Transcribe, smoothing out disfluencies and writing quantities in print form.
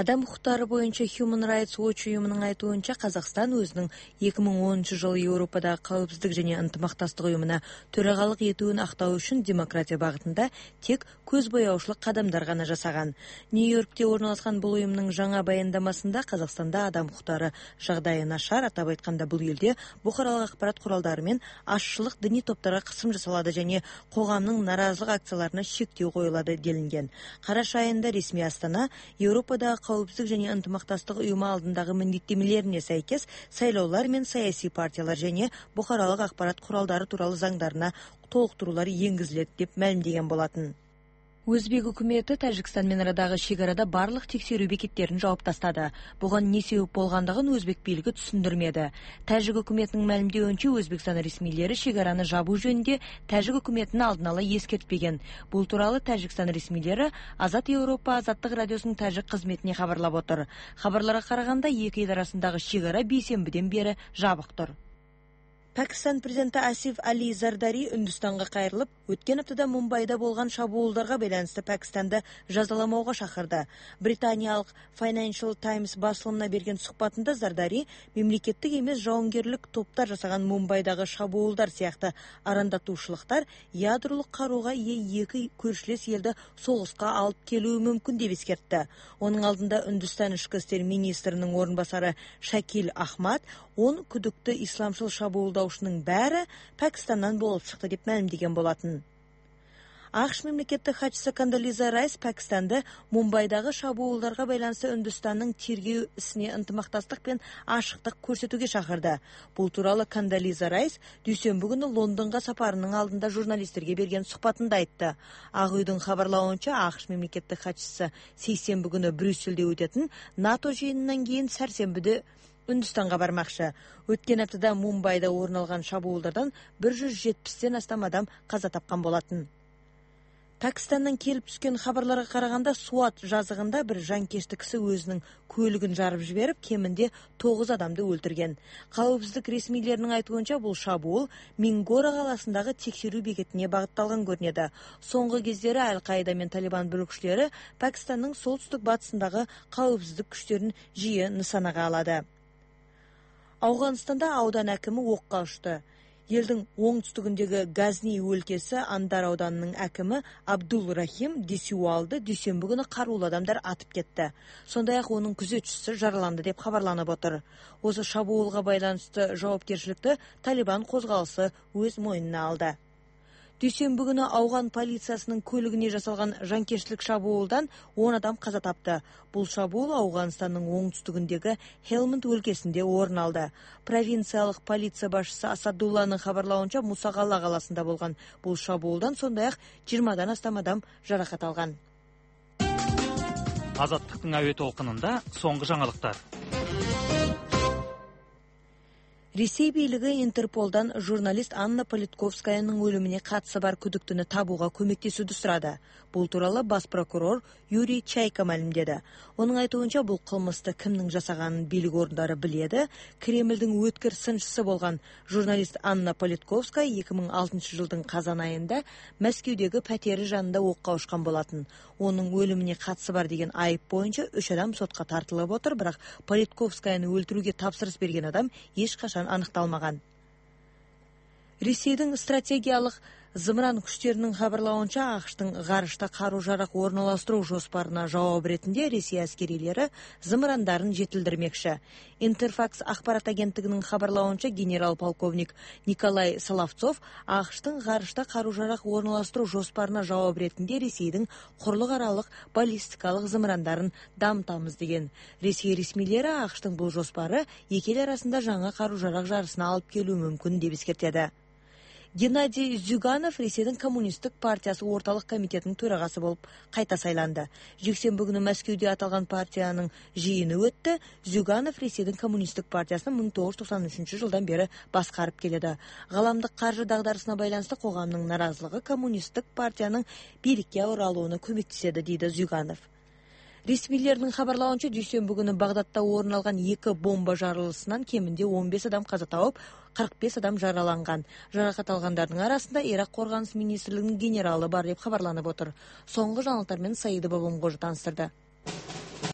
Адам укуктары боюнча Human Rights Watch уюмунун айтуунча, Казакстан өзүнүн 2010-жылы Европадагы калыпсыздык жана ынтымактастык уюмуна төрагалык этүүн актоо үчүн демократия багытында тек көз боёучлук кадамдар гана жасаган. Нью-Йоркте орналашкан бул уюмдун жаңа баяндамасында Казакстанда адам укуктары жагдайы начар, атап айтканда бул элде букаралык акпарат куралдары менен ашчылык диний топторго кысым жасалады жана коомдун наразылык акцияларына шектөө коюлат делинген. Караш айында ресми Астана Европадагы калыпсыздык жана ынтымактастык уюму алдындагы милдеттенмелерине сайкес сайлоолор менен саясий партиялар жана букаралык акпарат куралдары тууралуу заңдарына толуктуруулар энгизилет деп маалимдеген болотун. Өзбек өкмөтү Тажикстан менен арадагы чек арада барлык текшерүү бекеттерин жаап тастады. Буга эмне себеп болгондугун өзбек бийлиги түшүндүрмөдү. Тажик өкмөтүнүн маалимдеуинче, Өзбекстан ресмийлери чек араны жабуу жөнүндө Тажик өкмөтүнө алдын ала эскертпеген. Бул тууралуу Тажикстан ресмийлери Азат Европа азаттык радиосунун тажик кызметине кабарлап отур. Кабарларга караганда, эки эл арасындагы чек ара бейсенбиден бери жабыктыр. Пакистан президенти Асиф Али Зардари Үндүстанга кайрылып, өткөн аптада Мумбайда болгон шабуулдарга байланыштуу Пакистанды жазаламоого чакырды. Британиялык Financial Times басылымына берген сухбатында Зардари мемлекеттик эмес жауынгерлик топтор жасаган Мумбайдагы шабуулдар сыяктуу арандатуучулуктар ядролук карууга ээ эки көршүлөс элди согуска алып келүү мүмкүн деп эскертти. Онун алдында Үндүстан ички иштер министринин орун басары Шакил Ахмад 10 күдүктүү исламчыл шабуулдаушунун баары Пакистандан болуп чыкты деп маалимдеген болотун. АКШ мемлекеттик катчысы Кондолиза Райс Пакистанды Мумбайдагы шабуулдарга байланыштуу Үндүстандын тергөө исине ынтымактастык менен ашыктык көрсөтүүгө чакырды. Бул тууралуу Кондолиза Райс дүйшөмбү күнү Лондонго сапарынын алдында журналисттерге берген сухбатында айтты. Ак үйдүн кабарлауынча, АКШ мемлекеттик катчысы сейсенби күнү Брюссельде өтөтүн НАТО жыйынынан кийин сарсенбиде Үндүстанга бармакчы. Өткөн аптада Мумбайда орун алган шабуулдардан 170ден астам адам каза тапкан болотун. Пакистандан келип түскөн кабарларга караганда, Суат жазыгында бир жанкечтик киши өзүнүн көлүгүн жарып жиберип, кеминде 9 адамды өлтүргөн. Калыпсыздык ресмийлеринин айтуунча, бул шабуул Мингора каласындагы текшерүү бекетине багытталган көрүнөдү. Соңку кездери Аль-Каида менен Талибан бөлүкчүлөрү Пакистандын солтүстүк батысындагы калыпсыздык күчтөрүн жиі нысанага алады. Афганистанда аудан акими окко учту. Элдин оңтүстүгүндөгү Газни өлкөсү Андар ауданынын акими Абдул Рахим Дисюалды дүйшөмбү күнү каруулуу адамдар атып кетти. Сондай эле анын күзөтчүсү жараланды деп кабарланып отур. Осы шабуулга байланыштуу жоопкерчиликти Талибан козголуусу өз мойнуна алды. Дүйшөмбү күнү Афган полициясынын көлүгүнө жасалган жанкечтик шабуулдан 10 адам каза тапты. Бул шабуул Афганстандын оңтүстүгүндөгү Хелманд өлкөсүндө орун алды. Провинциялык полиция башчысы Асадулланын кабарлауынча, Мусагала каласында болгон бул шабуулдан сондай эле 20дан астам адам жаракат алган. Азаттыктын абе толкунунда соңку жаңылыктар. Ресей бийлиги Интерполдан журналист Анна Политковскаянын өлүмүнө катышы бар күдүктүнү табууга көмөктөшүүнү сурады. Бул тууралуу бас прокурор Юрий Чайка маалимдеди. Онун айтуунча, бул кылмышты кимдин жасаганын бийлик ордары биледи. Кремлдин өткөр сынчысы болгон журналист Анна Политковская 2006 жылдын казан айында Мәскеудөгү пәтери жанында окко учкан болотун. Онун өлүмүнө катышы бар деген айып боюнча 3 адам сотко тартылып отур, бирок Политковскаяны өлтүрүүгө тапшырыс берген адам эч качан аныкталмаган. Ресейдин стратегиялык зымыран күчтөрүнүн кабарлауынча, АКШтын гарышта каруу-жарак орналаштыруу жоспарына жооп иретинде Ресей аскерилери зымырандарын жетилдирмекчи. Интерфакс акпарат агенттигинин кабарлауынча, генерал-полковник Николай Соловцов АКШтын гарышта каруу-жарак орналаштыруу жоспарына жооп иретинде Ресейдин курлук аралык баллистикалык зымырандарын дамытабыз деген. Ресей ресмийлери АКШтын бул жоспары эки эл арасында жаңа каруу-жарак жарысына алып келүү мүмкүн деп эскертеди. Геннадий Зюганов Ресейдин коммунисттик партиясы орталык комитетинин төрагасы болуп кайта сайланды. Жексенби күнү Мәскеудө аталган партиянын жыйыны өттү. Зюганов Ресейдин коммунисттик партиясын 1993 жылдан бери башкарып келеді. Галамдык каржы дагдарысына байланыштуу коомдун наразылыгы коммунисттик партиянын бийликке оралууна көмөктөшөдү, дейди Зюганов. Ресмийлердин кабарлауынча, дүйшөмбү күнү Багдадда орун алган 2 бомба жарылышынан кеминде 15 адам каза тауып, 45 адам жараланган. Жаракат алгандардын арасында Ирак коргонуш министрлигинин генералы бар деп кабарланып отур. Соңку жаңылыктар менен Саида Бабамгожу таныстырды.